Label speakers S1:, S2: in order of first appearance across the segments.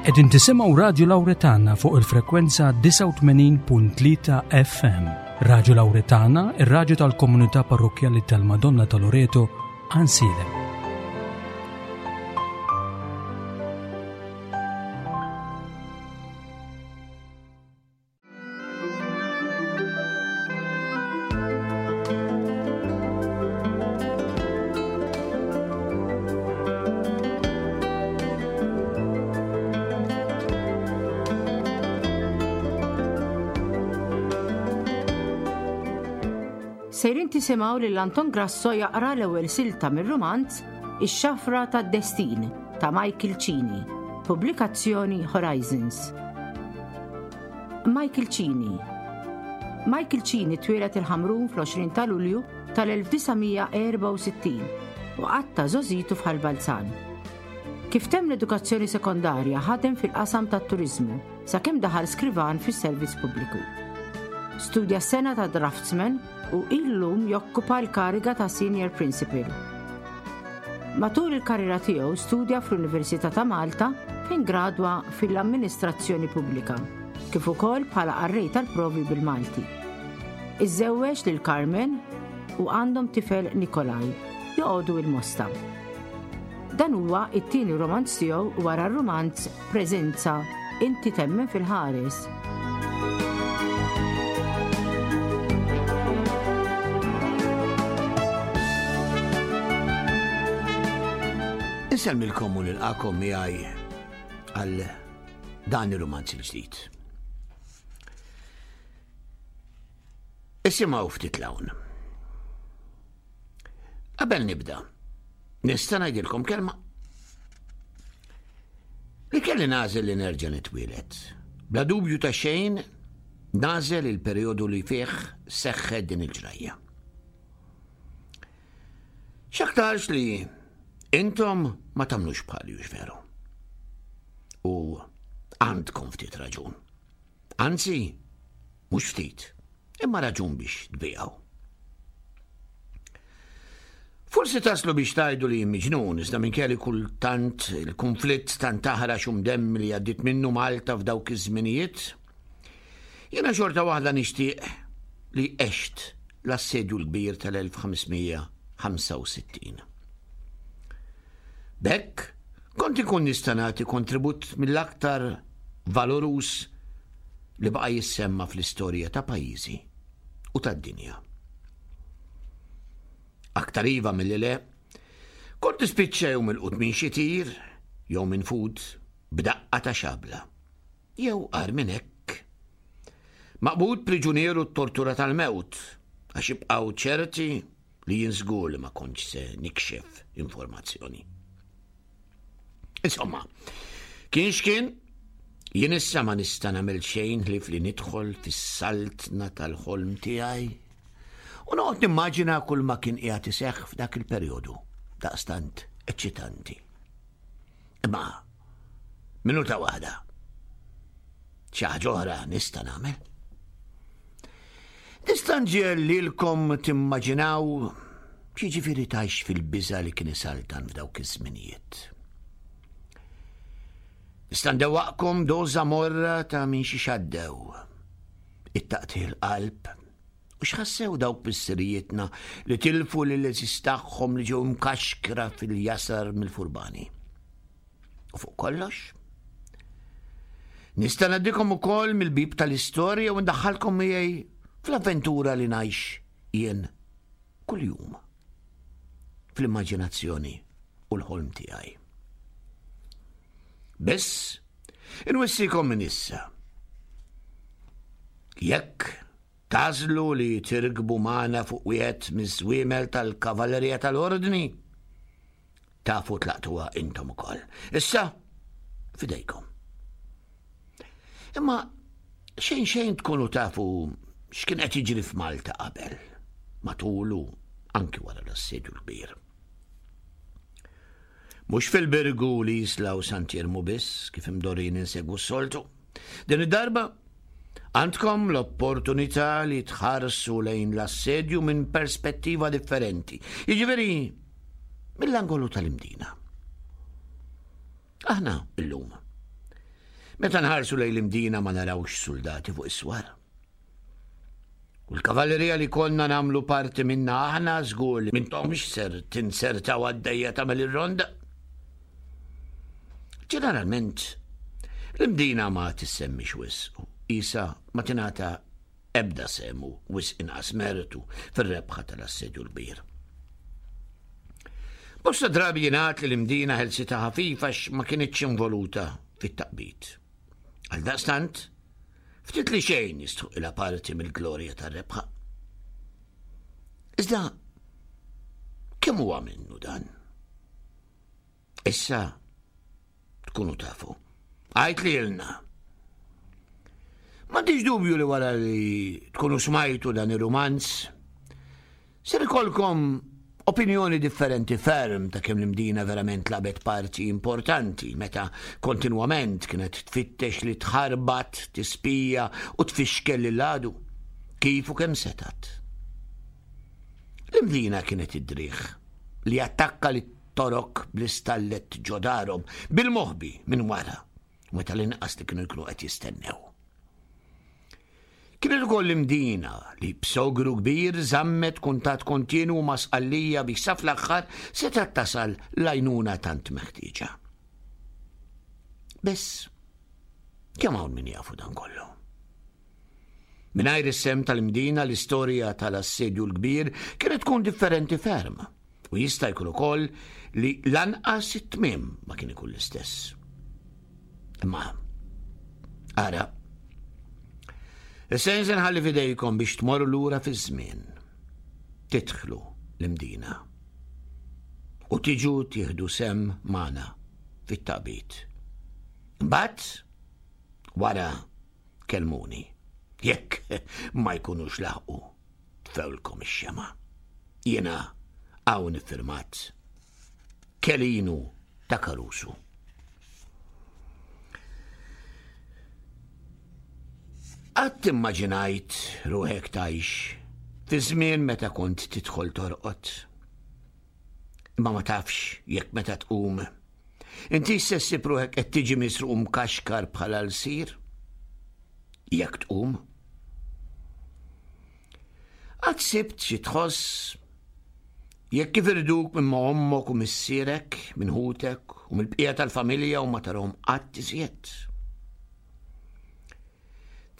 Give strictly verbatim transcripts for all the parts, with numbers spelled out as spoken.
S1: Qegħdin tisimgħu Radju Lawretana fuq il-frekwenza disgħa u tmenin punt tlieta F M. Radju Lawretana, ir-radju tal-Komunità Parrokkjali tal-Madonna ta' Loreto, Għajnsielem.
S2: Sejrin tisimgħu lil Anton Grasso jaqra l-ewwel silta mir-rumanz Ix-Xafra tad-Destin ta' Michael Cini, pubblikazzjoni Horizons. Michael Cini. Michael Cini twieled il-Ħamrun fl-għoxrin ta' Lulju tal-elf disa' mija erbgħa u sittin u qatta' żgħożitu f'Ħal Balzan. Kif temm l-edukazzjoni sekondarja, ħadem fil-qasam tat-turiżmu sakemm daħal skrivan fis-servizz pubbliku. Studja sengħa ta' draftsman u illum jokkupa l-kariga ta' Senior Principal. Matul il-karriera tiegħu studja fl-Università ta' Malta, fejn gradwa fil-Amministrazzjoni Pubblika, kif ukoll bħala qarrej tal-provi bil-Malti. Iżżewweġ lil Carmen u għandhom tifel, Nikolaj, joqogħdu il-Mosta. Dan huwa it-tieni romanz tiegħu wara r-romanz Preżenza, Inti Temmen fil-Ħares.
S3: Insellmilkom u nilqagħkom miegħi għal dan ir-romanz il-ġdid. Isimgħu ftit 'l hawn. Qabel nibda, nista' ngħidilkom kelma? Li kelli nagħżel li nerġa' nitwieled, bla dubju ta' xejn nagħżel il-perjodu li fih seħħet din il-ġrajja. X'aktarx li intom ma tagħmlux bħali, hux veru? U għandkom ftit raġun. Anzi, mhux ftit, imma raġun biex tbijaw. Forsi taslu biex tgħidu li miġnun, iżda minn kelli kultant il-konflitt tant taħrax u mdemmi li għaddit minnu Malta f'dawk iż-żminijiet, jiena xorta waħda nixtieq li għext l-Assedju l-Kbir tal-elf ħames mija ħamsa u sittin. B'hekk, kont ikun nista' nagħti kontribut mill-aktar valorus li baqa' jissemma fl-istorja ta' pajjiżi u tad-dinja. Aktar iva milli le, kont nispiċċa jew milqut minn xi tir, jew minfud b'daqqa ta' xabla. Jew agħar minn hekk, maqbud priġunieru tortura tal-mewt, għax ibqgħu ċerti li jien żgur li ma kontx se nikxef informazzjoni. Insomma, kien x'kien, jien issa ma nista' nagħmel xejn ħlief li nidħol fis-saltna tal-ħolm tiegħi u noqgħod nimmaġina kull ma kien qiegħed iseħħ f'dak il-perjodu daqstant eċċitanti. Imma minuta waħda. Xi ħaġa oħra nista' nagħmel. Nista' nġiegħel lilkom timmaġinaw x'jiġifieri tgħix fil-biża' li kien isaltan f'dawk iż-żminijiet. Nista' ndewwaqkom doża morra ta' minn xiex għaddew. It-taqtigħ il-qalb u x'ħassew dawk missirijietna li tilfu lill-għeżież tagħhom li ġew mkaxkra fil-jasar mill-furbani. U fuq kollox, nista' ngħaddikom ukoll mill-bib tal-istorja u ndaħħalkom miegħi fl-avventura li ngħix jien kuljum fl-immaġinazzjoni u l-ħolm tiegħi. Biss, inwissikom minn issa. Jekk tagħżlu li tirkbu magħna fuq wieħed miż-żwiemel tal-Kavallerija tal-Ordni, tafu tlaqtuha intom ukoll. Issa, fidejkom. Imma xejn xejn tkunu tafu x'kien qed jiġri f'Malta qabel, matul u anki wara l-Assedju l-Kbir. Mhux fil-Birgu, l-Isla u Sant'Iermu biss, kif imdorrijin insegwu s-soltu. Din id-darba għandkom l-opportunità li tħarsu lejn l-assedju minn perspettiva differenti. Jiġifieri mill-angolu tal-Imdina. Aħna illum Meta nħarsu lejn l-Imdina ma narawx soldati fuq is-swar. U l-kavallerija li konna nagħmlu parti minna aħna żgur li m'intomx ser tinsertaw għaddejja tagħmel ir-ronda. Ġeneralment, l-Imdina ma tissemmix wisq u isa ma tingħata ebda semu wisq inqas mertu fir-rebħa tal-Assedju l-Kbir. Bosta drabi jingħad li l-Imdina ħelsitha ħafifa għax ma kinitx involuta fit-taqbid. Għaldaqstant, ftit li xejn jistħoqqilha parti mill-glorja tar-rebħa. Iżda, kemm huwa minnu dan? Issa tkunu tafu. Għajt li ilna. M'għandix dubju li wara li tkunu smajtu dan ir-rumanz, ser ikolkom opinjoni differenti ferm ta' kemm l-Imdina verament lagħbet parti importanti meta kontinwament kienet tfittex li tħarbat, tispija u tfixkel lil għadu kif u kemm setat. L-Imdina kienet id-driħ li attakka lit-Torok bl-istallet ġo darhom bil-moħbi minn wara meta l-inqas li kienu jkunu qed jistennew. Kienet ukoll l-Imdina li b'sogru kbir żammet kuntatt kontinu ma' Sqallija biex sa fl-aħħar setgħet tasal l-għajnuna tant meħtieġa. Biss, kemm hawn min jafu dan kollu? Mingħajr is-sehem tal-Imdina, l-istorja tal-Assedju l-Kbir kienet tkun differenti ferm u jista' jkun ukoll li lanqas it-tmiem ma kien ikun l-istess. Imma, ara, issa se nħalli f'idejkom biex tmorru lura fiż-żmien. Tidħlu l-Imdina. U tiġu tieħdu sehem magħna fit-taqbid. Mbagħad wara kelmuni. Jekk ma jkunux laħqu tfewlkom ix-xema. Jiena hawn iffirmat Kelinu ta' Caruso. Qatt immaġinajt ruħek tgħix fi żmien meta kont tidħol torqod. Imma ma tafx jekk meta tqum. Inti se ssib ruħek qed tiġi misruq mkaxkar bħala l-sir? Jekk tqum. Qatt sibt xi tħoss jekk kif irduk minn ma' ommok u missierek, minn ħutek u mill-bqija tal-familja u ma tarhom qatt iżjed.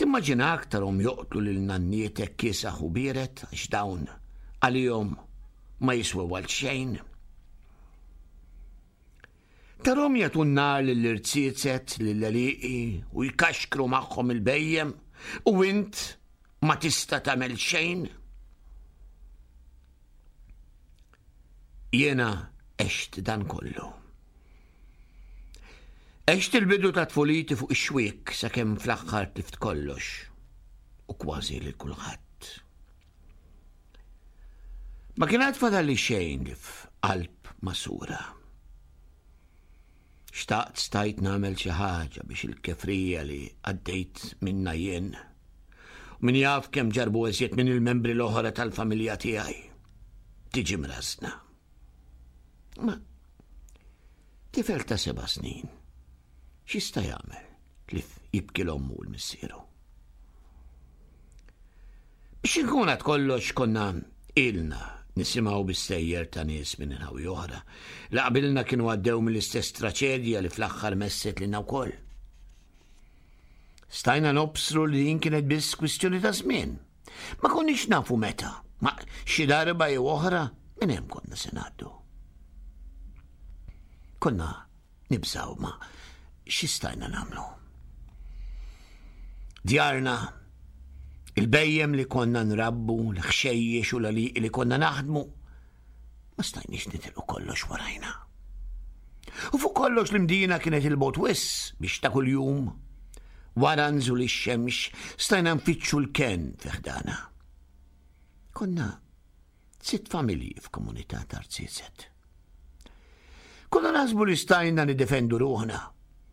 S3: Timmaġinak tarhom joqtlu lil nannietek kiesaħ u biered għax dawn għalihom ma jiswew għal xejn. Tarhom jagħtu n-nar lill-irziezet, lill-għelieqi u jkaxkru magħhom il-bejjem u int ma tista' tagħmel xejn. Jiena għext dan kollu. Għext il-bidu ta' tfuliti fuq ix-xwiek sakemm fl-aħħar tlift kollox u kważi lil kulħadd. Ma kien għad fadalli xejn li f'qalb masura. Xtaqt stajt nagħmel xi ħaġa biex il-kefrija li għaddejt minna jien u min jaf kemm ġarbu eżjed minn il-membri l-oħra tal-familja tiegħi tiġi mrażna. Ma tifel ta' seba' snin x'jista' jagħmel tlif jibki l-ommu u l-missieru? Biex inkun għad kollox konna ilna nisimgħu bis-sejjer ta' nies minn inħawi oħra li qabilna kienu għaddew mill-istess traċedja li fl-aħħar messet lilna wkoll. Stajna nobsru li din kienet biss kwistjoni ta' żmien. Ma konniex nafu meta, ma xi darba jew oħra minn hemm konna se ngħaddu. Konna nibżgħu ma xi stajna nagħmlu. Djarna, il-bejjem li konna nrabbu, l-ħxejjex u l-għalieqi li konna naħdmu, ma stajniex nitilqu kollox warajna. U fuq kollox l-Imdina kienet il-bot wiss biex ta' kuljum wara nżul ix-xemx stajna nfittxu l-ken fi ħdana. Konna sitt familji f'komunità ta' rziezet. Konna naħsbu li stajna nidefendu ruħna,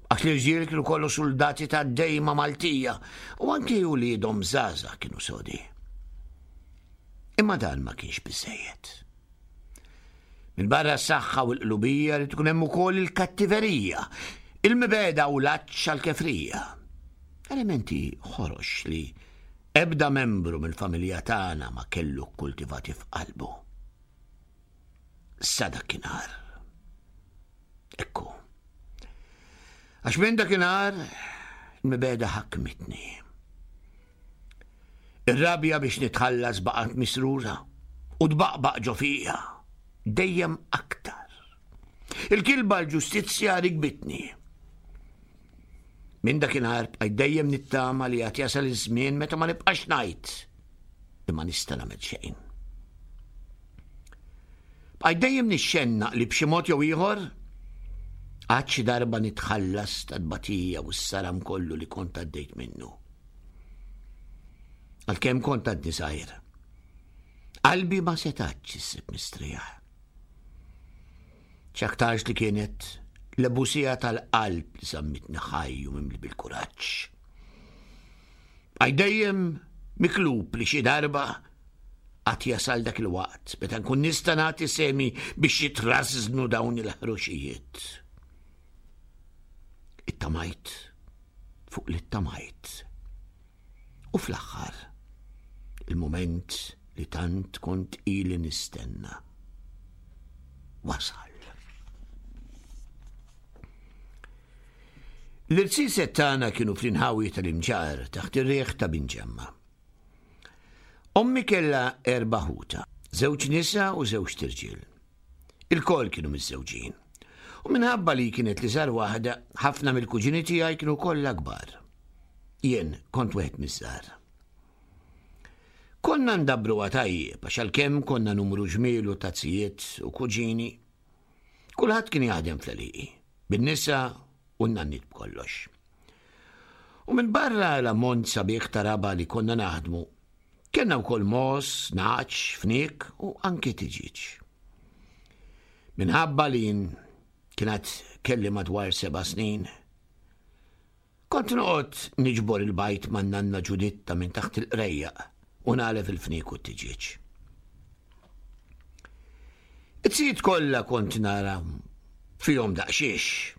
S3: għax l-irġiel kienu kollu soldati ta' dejma Maltija u anki uliedhom żgħażagħ kienu sodi. Imma dan ma kienx biżejjed. Minn barra s-saħħa u l-qlubija li tkun hemm ukoll il-kattiverija, Il-mibegħda u l-għatx għall-kefrija. Elementi ħorox li ebda membru mill-familja tagħna ma kellu kkultivati f'qalbu. Sa dakinhar. Ekku. Għax minn dakinhar il-mibegħda ħakmitni. Ir-rabja biex nitħallas baqgħet misrura u tbaqbaq ġo fija, dejjem aktar. Il-kilba l-ġustizzja rikbitni. Minn dakinhar bqajt dejjem nittama li għad jasal iż-żmien meta ma nibqax ngħid li ma nista' nagħmel xejn. Bqajt dejjem nixxennaq li b'xi mod jew ieħor għad xi darba nitħallas tat-tbatija u s-saram kollu li kont għaddejt minnu. Għalkemm kont għadni żgħir, qalbi ma setatx issib mistrieħ. X'aktarx li kienet l-ebusija tal-qalb li żammitni ħaj u mimli bil-kuraġġ. Bqajt dejjem miklub li xi darba għad jasal dak il-waqt meta nkun nista' nagħti semi biex jitrażżnu dawn il-ħruxijiet. Ittamajt fuq li ttamajt. U fl-aħħar, il-mument li tant kont ili nistenna wasal. L-irsiset tagħna kienu fl-inħawi tal-Imġarr taħt ir-riħ ta' Binġemma. Ommi kellha erba' ħuta, żewġ nisa u żewġ tirġiel. Il-koll kienu miżżewġin. U minħabba li kienet li żar waħda, ħafna mill-kuġini tiegħi kienu kollha kbar. Jien kont wieħed miż-żgħar. Konna ndabruha tajjeb għax għalkemm konna numru ġmielu ta' tzijiet u kuġini, kulħadd kien jaħdem fl-għelieqi, bin-nisa u n-nannit b'kollox. U minn barra l-ammont sabiħ ta' raba li konna naħdmu, kellna wkoll mos, naċ, fniek u anke tiġiġ. Minħabba li jien kienet kelli madwar seba' snin, kont noqgħod niġbor il-bajt man nanna Ġuditta minn taħt il-qrejjaq u nagħlef il-fniek u t-tiġieġ. It-tzijiet kollha kont nara fihom daqsxiex,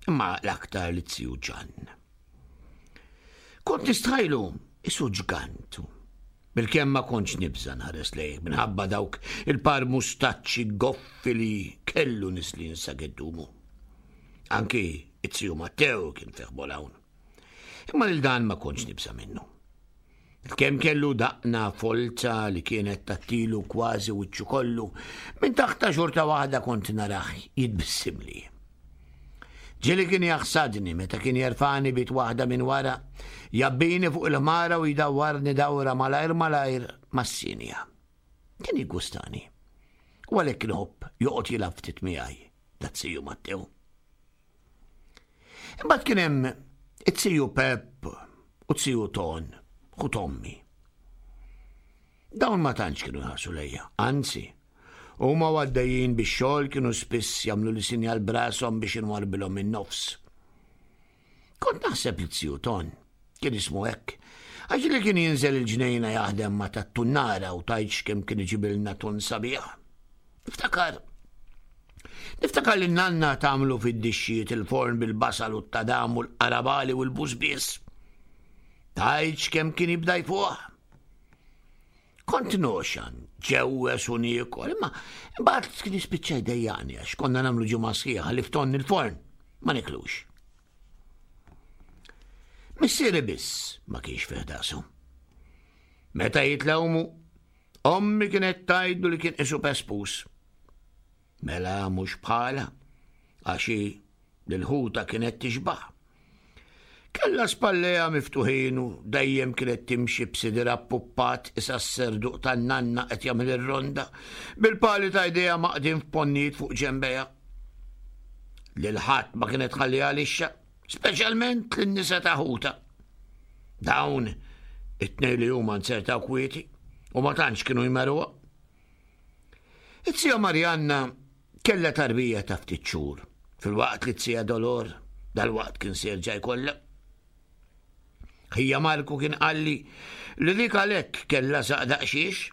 S3: imma l-aktar li t-tiju Ġann. Kont nistħajlu isu ġgant. Bil-kemm ma kontx nibża' nħares lejh minħabba dawk il-par mustaċċi goffi li kellu nislin sa geddumu. Anki it-tiju Matteo kien fih hawn. Imma lil dan ma kontx nibża' minnu. Kemm kellu daqna folta li kienet tattilu kważi wiċċu kollu, minn taħta xorta waħda kont narah jitbissimli. Ġieli kien jaħsadni meta kien jerfani bit waħda minn wara, jabbini fuq il-ħmara u jdawwarni dawra malajr malajr mas-sinja. Kien jiggustani. U għalhekk inħobb joqgħod jilgħab ftit miegħi, dat-siju Matteo. Imbagħad kien hemm it-siju Pep u t-siju Ton, ħu Tommi. Dawn ma tantx kienu jħarsu lejja, anzi, huma għaddejjin bix-xogħol kienu spiss jagħmlu li sinjal brashom biex inwarbilhom in-nofs. Kont naħseb li t-siju Ton kien ismu hekk, għax li kien jinżel il-ġnejna jaħdem ma' tat-tunnara u tgħidx kemm kien iġibilna tun sabiħ. Niftakar. Niftakar li n-nanna tagħmlu fid-dixxijiet il-forn bil-basal u t-tadam u l-qarabali u l-busbies. Tgħidx kemm kien jibda jfuħ. Kont noxan, ġewwes u niekol, imma imbagħad kien jispiċċa jdejjaqni għax konna nagħmlu ġimgħa sħiħa li fton il-forn, ma niklux. Missieri biss ma kienx fih dasu. Meta jitlewmu, ommi kienet tgħidlu li kien qisu pespus. Mela mhux bħala, għax hi lil-ħuta kienet tixbaħ. Kellha spalleja miftuħin u dejjem kienet timxi b'sidira puppat isa s-serduq tan-nanna qed jagħmel ir-ronda, bil-pali ta' jdejha maqdin f'ponnijiet fuq ġembejha. Lil ħadd ma kienet tħalliha lixxa, speċjalment lin-nisa ta' ħuta. Dawn it-tnejn li huma nzertaw kwieti u ma tantx kienu jmeruha. It-sija Marianna kellha tarbija ta' ftit xhur, filwaqt li t-sija Dolor dal-waqt kien se jerġa' jkollha. Ħija Marku kien qalli li dik għalhekk kellha saq daqsxiex.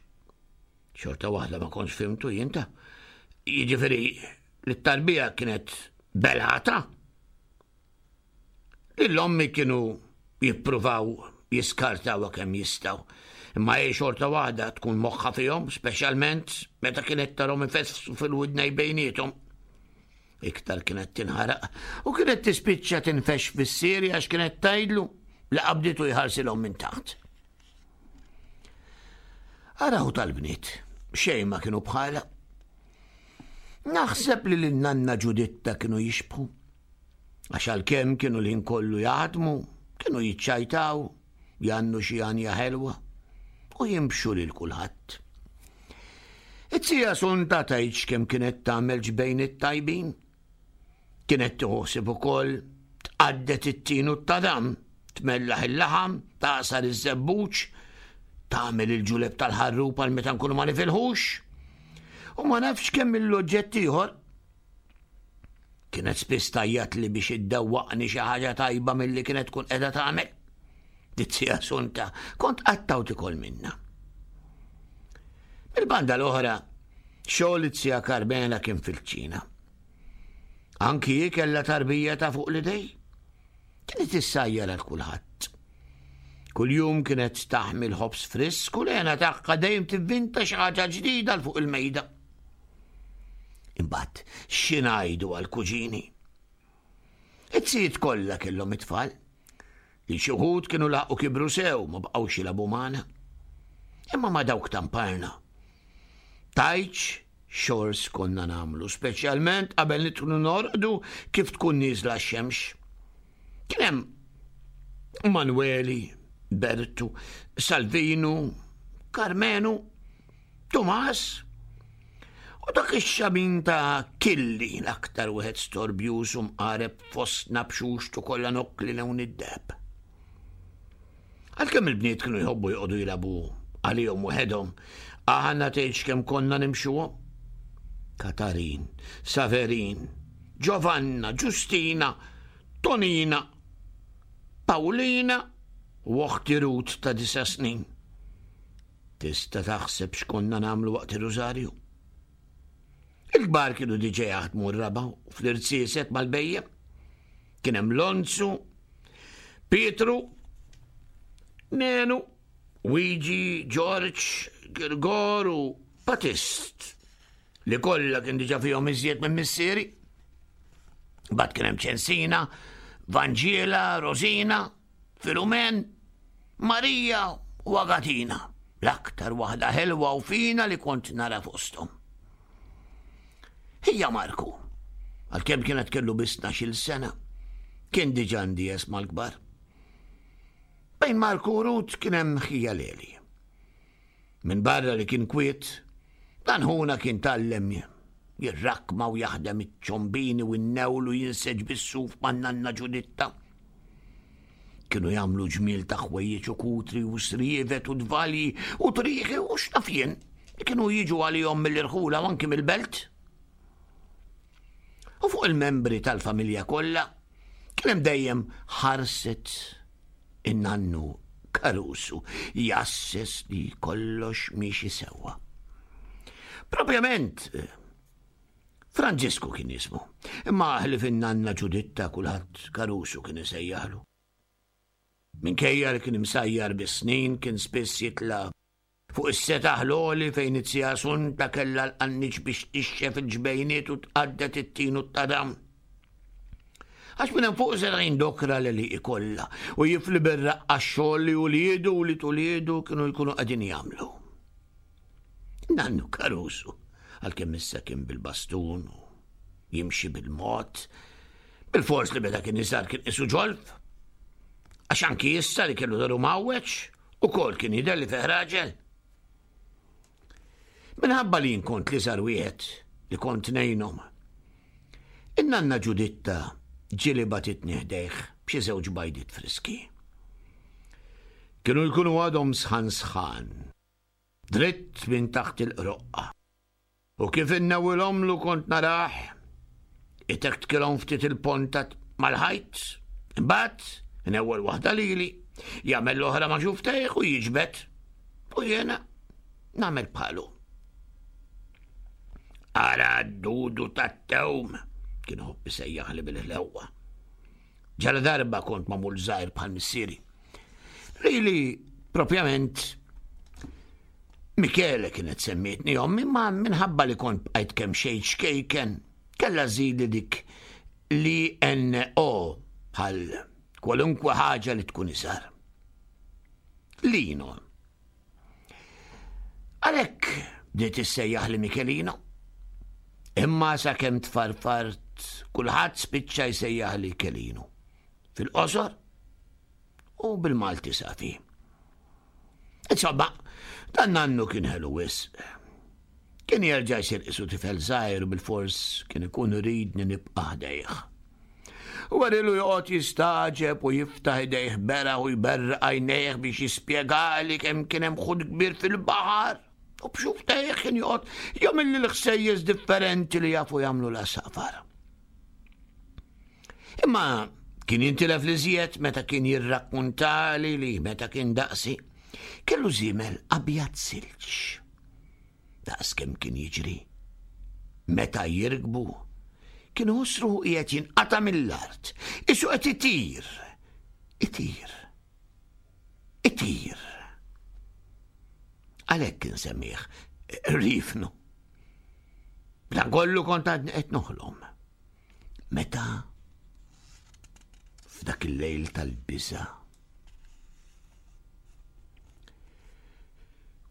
S3: Xorta waħda ma kontx fimtu jinta. Jiġifieri li t-tarbija kienet belata. Lil ommi kienu jippruvaw jiskartawha kemm jistgħu. Imma hi xorta waħda tkun moħħha fihom, speċjalment meta kienet tarhom ifessu fil-widnej bejniethom. Iktar kienet tinħaraq u kienet tispiċċa tinfex fis-siri għax kienet tgħidlu li qabditu jħarsilhom minn taħt. Araw tal-bniet, xejn ma kienu bħala. Naħseb li lin-nanna Ġuditta kienu jixbħu. Għax għalkemm kienu l-ħin kollu jaħdmu, kienu jiċċajtaw, jannu xi għanja ħelwa u jimxu lil kulħadd. It-tija Sunta tgħidx kemm kienet tagħmel ġbejn it-tajbin. Kienet tħossib ukoll tqaddet it-tin u t-tadam, tmellaħ il-laħam, taqsar iż-żebbuġ, tagħmel il-ġuleb tal-ħarrub għal meta nkunu ma nifilħux. U ma nafx kemm il-oġġett ieħor. Kienet spiss tajjat li biex iddewwaqni xi ħaġa tajba milli kienet tkun qiegħda tagħmel. Dizzija Sunta, kont qattaw tikol minna. Mil-banda l-oħra, xogħol it-zija Carmela kien fil-ċina. Anki hi kellha tarbija ta' fuq l-idej. Kienet issajjar għal kulħadd. Kuljum kienet taħmil ħobż frisk u l-għena tagħha dejjem tivvinta xi ħaġa ġdida l fuq il-mejda. Imbagħad xi ngħidu għall-kuġini? It-sijiet kollha kellhom it-tfal. Li xi wħud kienu laqgħu kibru sew ma baqgħux jilagħbu magħna. Imma ma dawk tamparna. Tajċ xors konna nagħmlu, speċjalment qabel nidħlu norqdu kif tkun nieżla x-xemx. Kien hemm Manueli, Bertu, Salvinu, Carmenu, Tomas, u dak ix-xamin ta' Killi l-aktar wieħed storbjuż u mqareb fostna b'xuxtu kollha nokkli lewn id-deheb. Għalkemm il-bniet kienu jħobbu joqogħdu jilagħbu għalihom waħedhom, aħna tgħidx kemm konna nimxuhom. Katarin, Saverin, Giovanna, Ġustina, Tonina, Paulina u oħti Ruth ta' disa' snin. Tista' taħseb x'konna nagħmlu waqt ir-rużarju. Il-kbar kienu diġà jaħdmu r-raba' u fl-irtsieset mal-bejjem. Kien hemm Lonzu, Pietru, Nenu, Wigi, Ġorġ, Girgor u Patist li kollha kien diġà fihom iżjed minn missieri. Bad kien hemm Ċensina, Vanġiela, Rosina, Filumen, Marija u Agatina, l-aktar waħda ħelwa u fina li kont nara fosthom. Hija Marku, għalkemm kienet kellu biss tnax-il sena, kien diġà ndies mal-kbar. Bejn Marku u Ruth kien hemm ħija Leli. Min barra li kien kwiet, dan ħuna kien tallem jirrakma u jaħdem iċ-ċombini u n-newl u jinseġ bis-suf man-nanna Ġuditta. Kienu jagħmlu ġmiel ta' ħwejjeġ u kutri u srievet u dvalji u triħi u x'naf jien li kienu jiġu għalihom mill-irħula u anki mill-belt. U fuq il-membri tal-familja kollha kien hemm dejjem ħarset in-nannu Carusu jasses li kollox miexi sewwa. Propjament Franġisku kien jismu, imma ħlief in-nanna Ġuditta kulħadd Carusu kien isejjaħlu. Minkejja li kien imsajjar bis-snin kien spiss jitla' fuq is-setaħ l-għoli fejn it-sija Sunta kellha l-qanniċ biex tixxef il-ġbejniet u tqaddet it-tin u t-tadam. Għax minn hemm fuq seta' jindokra li li ikollha u jifli bir-raqqa x-xogħol li uliedu u li tuliedu kienu jkunu qegħdin jagħmlu. Nannu Carusu, għalkemm issa kien bil-bastun u jimxi bil-mod, bil-fors li meta kien iżgħar kien qisu ġolf. Għax anki issa li kellu daru mawweġ, ukoll kien jidher li fih raġel. Minħabba li kont li żar wieħed li kont ngħinhom. In-nanna Ġuditta ġieli bagħtitni ħdejh b'xi żewġ bajdiet friski. Kienu jkunu għadhom sħan sħan, dritt minn taħt il-qroqqa. U kif innewwilhomlu kont narah, itektkilhom ftit il-ponta mal-ħajt, imbagħad inewwel waħda lili, jagħmel l-oħra ma' xuftejh u jiġbed. U jiena nagħmel bħalu. Ara d-dudu tat-tewm, kien ħobb isejjaħli bil-ħlewwa. Ġala darba kont magħmul żgħir bħal missieri. Lili, propjament, Michele kienet semmietni ommi, ma minħabba li kont bqajt kemm xejn ċkejken, kellha żżidli dik li N O bħal kwalunkwe ħaġa li tkun iżgħar. Lino. Għalhekk bdiet issejjaħli Michelino. Imma sakemm tfarfart, kulħadd spiċċa jsejjaħli Kelinu. Fil-qosor u bil-Malti safi. Insomma, dan nannu kien ħelu wisq. Kien jerġa' jsir qisu tifel żgħir u bil-fors kien ikun iridni nibqa' ħdejh. U għarilu joqgħod jistagħġeb u jiftaħ idejh beraħ u jberraq għajnejh biex jispjegali kemm kien hemm ħut kbir fil-baħar. U b'xufftejh kien joqgħod jagħmilli l-ħsejjes differenti li jafu jagħmlu l-għasafar. Imma kien jintilef l-iżjed meta kien jirrakkuntali li meta kien daqsi kellu żiemel abjad silġ. Daqs kemm kien jiġri. Meta jirkbu, kien iħoss ruħu qiegħed jinqata' mill-art, qisu qed itir, itir, itir. Għalhekk kien semmih Rifnu. B'dan kollu kont għadni qed noħlom. Meta f'dak il-lejl tal-biża'.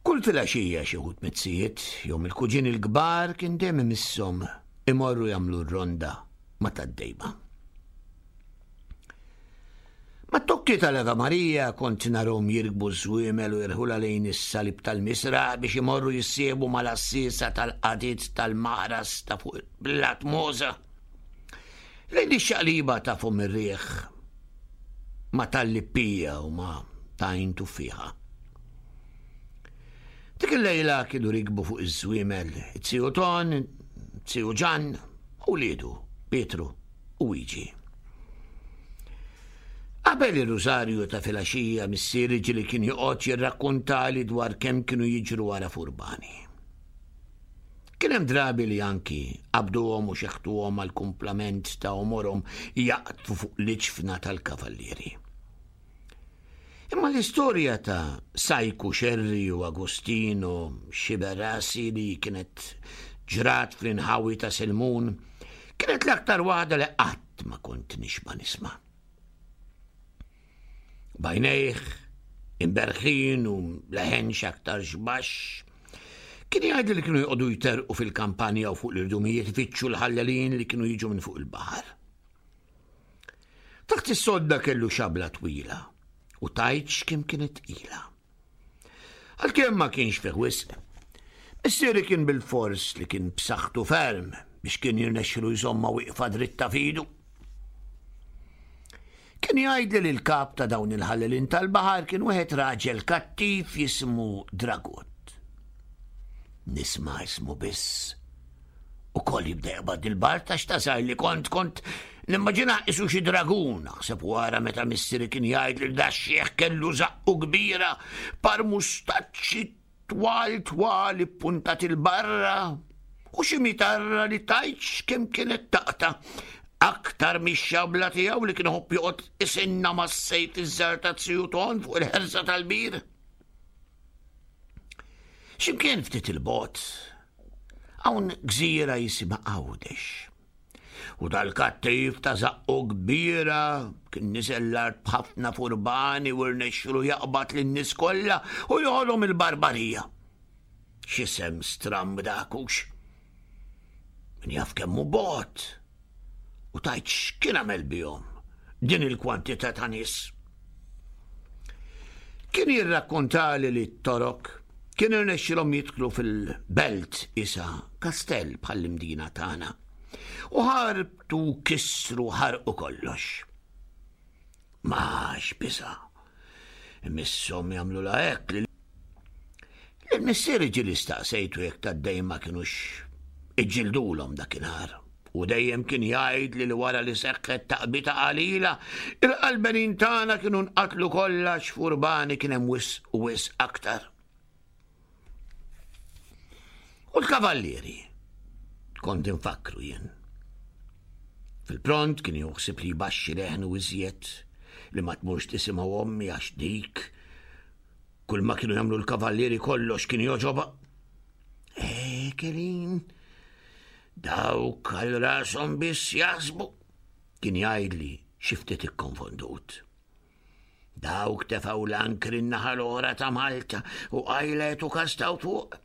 S3: Kull filgħaxija xi wħud miz-zijiet jew mill-kuġini l-kbar kien dejjem imisshom imorru jagħmlu r-ronda ma' tad-dejba. Mat-tokki tal-Eva Marija kont narhom jirkbu ż-żwiemel u jirħulha lejn is-salib tal-misraħ biex imorru jissiebu mal-għassiesa tal-qadid tal-maħras ta' fuq blat Mosa. Lejn ix-xaqliba ta' fum ir-riħ ma' tal-lippija u ma' tajn tuffiħa. Dik il-lejla kienu rikbu fuq iż-żwiemel it-Tiju Ton, Tiju Ġan u wliedu Pietru u Wiġi. Qabel ir-rużarju ta' filgħaxija missieri ġieli kien joqgħod jirrakkuntali dwar kemm kienu jiġru wara furbani. Kien hemm drabi li anki qabduhom u xeħtuhom għall-kumplament ta' għomorhom jaqtfu fuq l-iġfna tal-kavallieri. Imma l-istorja ta' Sajku Xerri u Agostino Xiberasi li kienet ġrat fl-inħawi ta' Selmun kienet l-aktar waħda li qatt ma kont nixba' nisma'. Bajnejh, imberħin u leħen x'aktar xbax, kien jgħid li kienu joqogħdu jterqu fil-kampanja u fuq l-irdumijiet ifittxu l-ħallelin li kienu jiġu minn fuq il-baħar. Taħt is-sodda kellu xabla twila u tajtx kemm kienet tqila. Għalkemm ma kienx fih wisq, missieri kien bil-fors li kien b'saħħtu ferm biex kien jirnexxilu jżomma wieqfa dritta f'idu. Kien jgħidli li l-kap ta' dawn il-ħallelin tal-baħar kien wieħed raġel kattiv jismu Dragut. Nisma' ismu biss. U koll jibda jaqbad il-bar ta' x'tasar li kont kont nimmaġina isu xi dragun, naħseb wara meta missieri kien jgħid li da xieħ kellu żaqqu kbira, par mustaċċi twal twal ippuntat il-barra u xi mitarra li tajtx kemm kienet taqta' aktar mix-xabla tiegħu li kien iħobb joqgħod isinna mas-sejf iż-żgħar ta' Tiju Ton fuq il-ħersa tal-bir. X'imkien ftit il-bogħod hawn gżira jisimha Għawdex. U dal-kattiv ta' żaqqu kbira kien niżel l-art b'ħafna furbani u rnexxilu jaqbad lin-nies kollha u joħodhom il-barbarija. X'isem stramb dak hux. Min jaf kemm hu bogħod. U tajt x'kien għamel bihom din il-kwantità ta' nies. Kien jirrakkontali li t-Torok kien irnexxilhom jidħlu fil-belt isa kastell bħall-imdina tagħna. U ħarbtu kisru ħarqu kollox. Ma x'biża'. Imisshom jagħmlu la hekk li l-missieri ġieli staqsejtu jekk tad-dejjem ma kinux iġġildulhom dakinhar. U dejjem kien jgħid li wara li seħħet taqbita qalila, il-qalbenin tagħna kienu nqatlu kollha x'furbani kien hemm wisq u wisq aktar. U l-kavallieri, kont infakru jien. Fil-pront kien juħsib li jbaxxi leħnu iżjed li ma tmurx tisimgħu ommi għax dik. Kull ma kienu jagħmlu l-kavallieri kollox kien jogħġobha. Eh, Kelin, dawk għal rashom biss jaħsbu, kien jgħidli xi ftit ikkonfondut. Dawk tefgħu l-ankri n-naħa l-oħra ta' Malta u qajlet u kastaw fuq,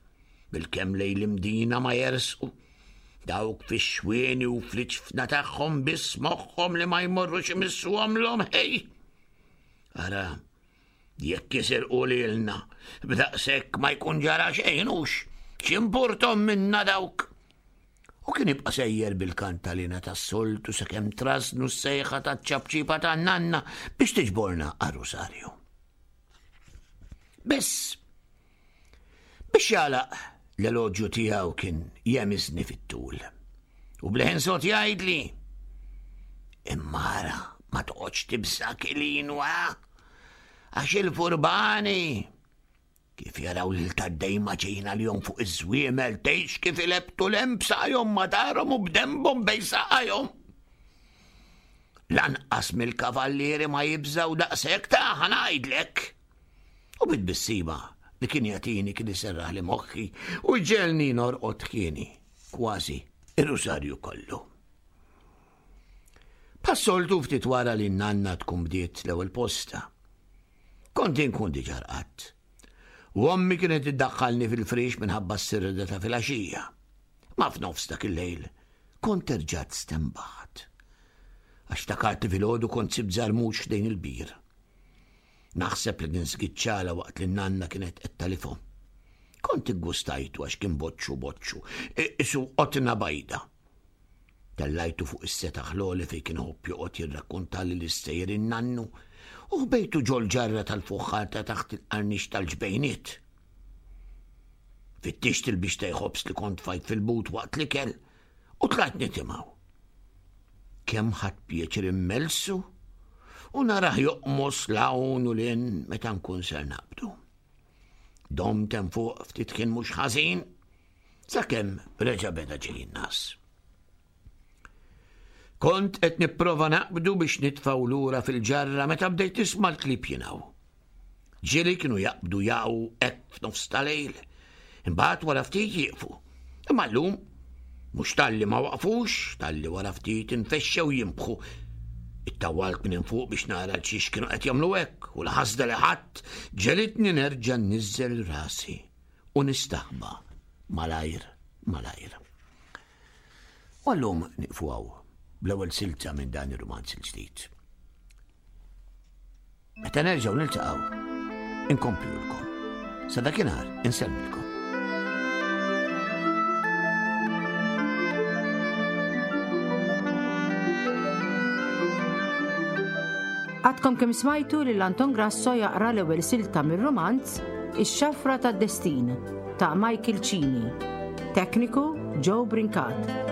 S3: bil-kemm lejn l-Imdina ma jersqu. Dawk fix-xwieni u fl-iċfna tagħhom biss moħħhom li ma jmorrux imissuhom l-om ħej. Ara, jekk jisirqu lilna, b'daqshekk ma jkun ġara xejn hux, x'impurtom minna dawk. U kien jibqa' sejjer bil-kantalina tas-soltu sakemm trasnu s-sejħa taċ-ċapċipa tan-nanna biex tiġborna għar-Rusarju. Biss, biex jagħlaq l-eloġju tiegħu kien jemiżni fit-tul. U bleħen sot jgħidli, imma ara ma toqgħodx tibsa kilin wa, għax il-furbani kif jaraw lil tad-dejma ġejna li jom fuq iż-żwiemel tgħix kif ilebtu lem b'saqajhom madarhom u b'dembhom bejn saqajhom. Lanqas mill-kavallieri ma jibżgħu daqshekk ta' ħa ngħidlek. U bit-tbissima li kien jagħtini kien iserraħ li moħħi u jġegħelni norqod ħieni kważi ir-rusarju kollu. Passoltu ftit wara li n-nanna tkun bdiet l-ewwel posta. Kont inkun diġà rqadt. U ommi kienet iddaħħalni fil-frix minħabba s-sirda ta' filgħaxija. Ma f'nofs dak il-lejl kont erġat stembaħt. Għax ftakart li filgħodu kont sibt żarmux ħdejn il-bir. Naħseb li kien żgiċċala waqt li n-nanna kienet qed talifhom. Kont iggustajtu għax kien boċċu boċċu, isu qotna bajda. Tellajtu fuq is-setaħ l-għoli fejn kien iħobb joqgħod jirrakkuntali l-istejjer in-nannu u ħbejtu ġol-ġarra tal-fuħħar ta' taħt il-qarnix tal-ġbejniet. Fittixt il-biex ta' jħobs li kont fajt fil-but waqt l-ikel u tlajt nitimgħu. Kemm ħadt pjaċir immelsu u narah joqmos l-hawn u lin meta nkun ser naqbdu. Domt hemm fuq ftit kien mhux ħażin sakemm reġa' beda ġej in-nas. Kont qed nipprova naqbdu biex nitfgħu lura fil-ġarra meta bdejt nisma' l-klieb jingħu. Ġieli kienu jaqbdu jaqgħu hekk f'nofs tal-lejl, imbagħad wara ftit jieqfu. Imma llum mhux talli ma waqfux, talli wara ftit infexxew jinbħu. Ittawalt minn fuq biex nara l-xiex kienu qed jagħmlu hekk u l-ħasda li ħadd ġelitni nerġa' nniżżel rasi u nistaħba malajr malajr. U llum nieqfu hawn bl-ewwel silta minn dan ir-rumanz il-ġdid. Meta nerġgħu niltaqgħu, inkomplulkom. Sa dakinhar insellmilkom.
S2: Għadkom kemm smajtu lil Anton Grasso jaqra l-ewwel silta mir-romanz Ix-Xafra tad-Destin ta' Michael Cini. Tekniku Joe Brincat.